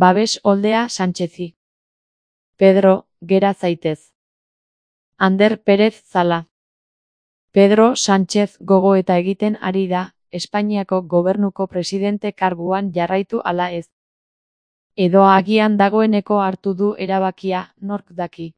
Babes oldea Sánchezi. Pedro, gera zaitez. Ander Pérez Zala. Pedro Sánchez gogoeta egiten ari da, Espainiako gobernuko presidente karguan jarraitu ala ez. Edo agian dagoeneko hartu du erabakia, nork daki.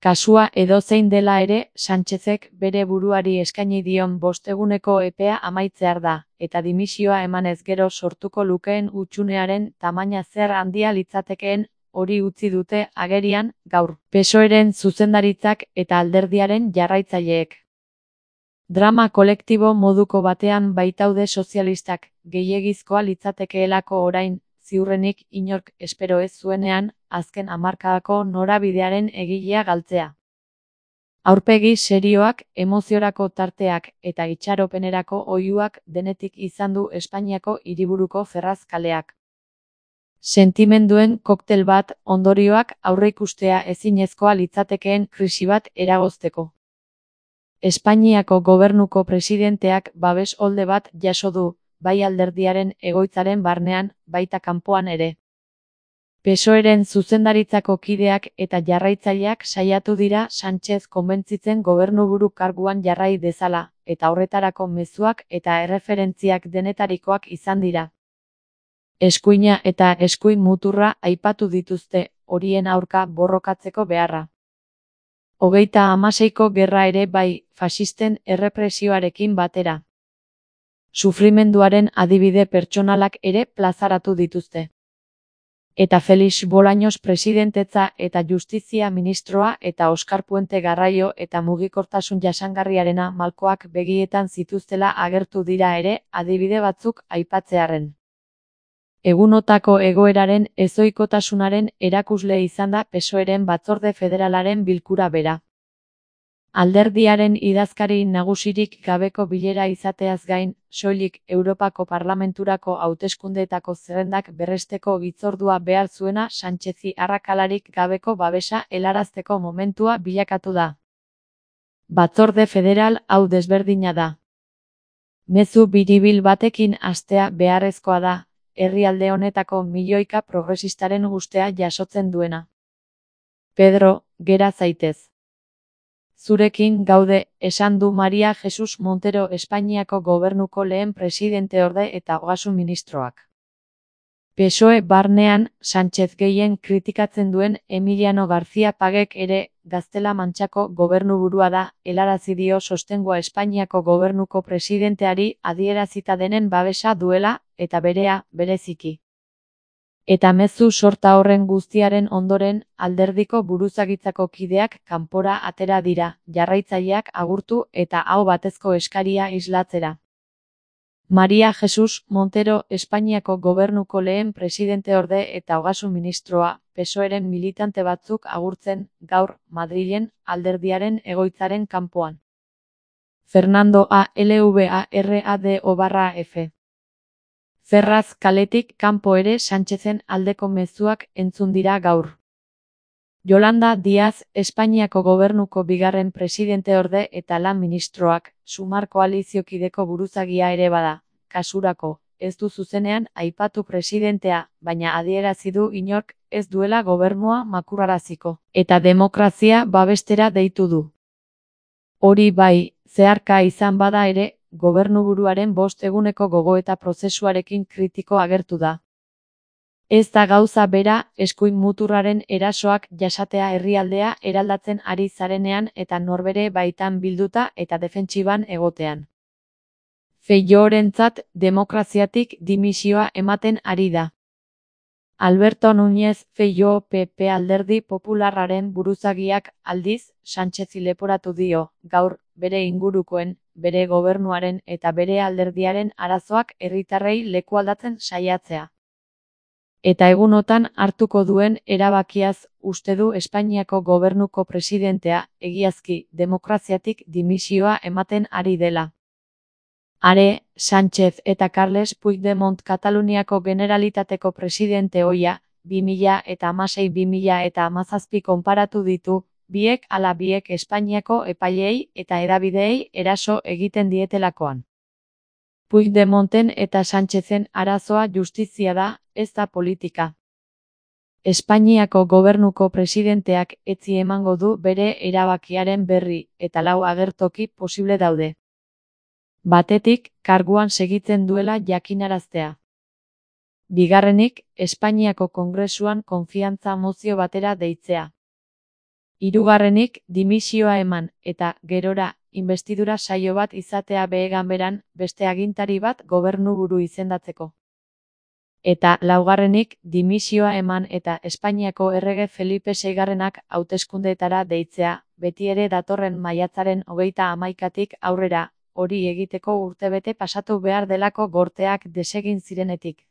Kasua edozein dela ere, Sánchezek bere buruari eskaini dion 5 eguneko epea amaitzear da, eta dimisioa emanez gero sortuko lukeen hutsunearen tamaina zer handia litzatekeen, hori utzi dute agerian, gaur, PSOEren zuzendaritzak eta alderdiaren jarraitzaileek. Drama kolektibo moduko batean baitaude sozialistak, gehiegizkoa litzatekeelako orain, ziurrenik inork espero ez zuenean, azken hamarkadako norabidearen egilea galtzea. Aurpegi serioak, emoziorako tarteak eta itxaropenerako oihuak denetik izan du Espainiako hiriburuko Ferraz kaleak. Sentimenduen koktel bat, ondorioak aurreikustea ezinezkoa litzatekeen krisi bat eragozteko. Espainiako gobernuko presidenteak babes olde bat jaso du, bai alderdiaren egoitzaren barnean, baita kanpoan ere. PSOEren zuzendaritzako kideak eta jarraitzaileak saiatu dira Sánchez konbentzitzen gobernuburu karguan jarrai dezala, eta horretarako mezuak eta erreferentziak denetarikoak izan dira. Eskuina eta eskuin muturra aipatu dituzte, horien aurka borrokatzeko beharra. 36ko gerra ere bai, faxisten errepresioarekin batera. Sufrimenduaren adibide pertsonalak ere plazaratu dituzte. Eta Felix Bolaños presidentetza eta justizia ministroa eta Oskar Puente Garraio eta mugikortasun jasangarriarena malkoak begietan zituztela agertu dira ere, adibide batzuk aipatzearren. Egunotako egoeraren ezohikotasunaren erakusle izan da PSOEren batzorde federalaren bilkura bera. Alderdiaren idazkari nagusirik gabeko bilera izateaz gain, soilik Europako Parlamenturako hauteskundeetako zerrendak berresteko hitzordua behar zuena Sánchezi arrakalarik gabeko babesa helarazteko momentua bilakatu da. Batzorde federal hau desberdina da. Mezu biribil batekin hastea beharrezkoa da, herrialde honetako milioika progresistaren gustea jasotzen duena. Pedro, gera zaitez. Zurekin gaude, esan du María Jesús Montero Espainiako gobernuko lehen presidenteorde eta ogasun ministroak. PSOE barnean, Sánchez gehien kritikatzen duen Emiliano García Pagek ere, Gaztela-Mantxako gobernuburua da, helarazi dio sostengua Espainiako gobernuko presidenteari adierazita denen babesa duela, eta berea, bereziki. Eta mezu sorta horren guztiaren ondoren, alderdiko buruzagitzako kideak kanpora atera dira, jarraitzaileak agurtu eta aho batezko eskaria islatzera. María Jesús Montero Espainiako gobernuko lehen presidenteorde eta ogasun ministroa, PSOEren militante batzuk agurtzen, gaur, Madrilen, alderdiaren egoitzaren kanpoan. Fernando Alvarado/F. Ferraz kaletik kanpo ere Sánchezen aldeko mezuak entzun dira gaur. Yolanda Díaz, Espainiako gobernuko bigarren presidenteorde eta lan ministroak, Sumar koaliziokideko buruzagia ere bada, kasurako, ez du zuzenean aipatu presidentea, baina adierazi du inork ez duela gobernua makurraraziko, eta demokrazia babestera deitu du. Hori bai, zeharka izan bada ere, gobernuburuaren 5 eguneko gogoeta prozesuarekin kritiko agertu da. Ez da gauza bera, eskuin muturraren erasoak jasatea herrialdea eraldatzen ari zarenean eta norbere baitan bilduta eta defentsiban egotean. Feijóorentzat demokraziatik dimisioa ematen ari da. Alberto Núñez Feijóo PP Alderdi Popularraren buruzagiak aldiz, Sánchezi leporatu dio, gaur, bere ingurukoen, bere gobernuaren eta bere alderdiaren arazoak herritarrei lekualdatzen saiatzea. Eta egunotan hartuko duen erabakiaz uste du Espainiako gobernuko presidentea, egiazki, demokraziatik dimisioa ematen ari dela. Are, Sánchez eta Carles Puigdemont Kataluniako Generalitateko presidente ohia, 2016-2017 konparatu ditu, biek ala biek Espainiako epaileei eta hedabideei eraso egiten dietelakoan. Puigdemonten eta Sánchezen arazoa justizia da, ez da politika. Espainiako gobernuko presidenteak etzi emango du bere erabakiaren berri eta 4 agertoki posible daude. Batetik, karguan segitzen duela jakinaraztea. Bigarrenik, Espainiako Kongresuan konfiantza mozio batera deitzea. Hirugarrenik, dimisioa eman eta, gerora, inbestidura saio bat izatea ganberan beste agintari bat gobernuburu izendatzeko. Eta laugarrenik, dimisioa eman eta Espainiako errege Felipe seigarrenak hauteskundeetara deitzea, beti ere datorren maiatzaren 31tik aurrera, hori egiteko urtebete pasatu behar delako gorteak desegin zirenetik.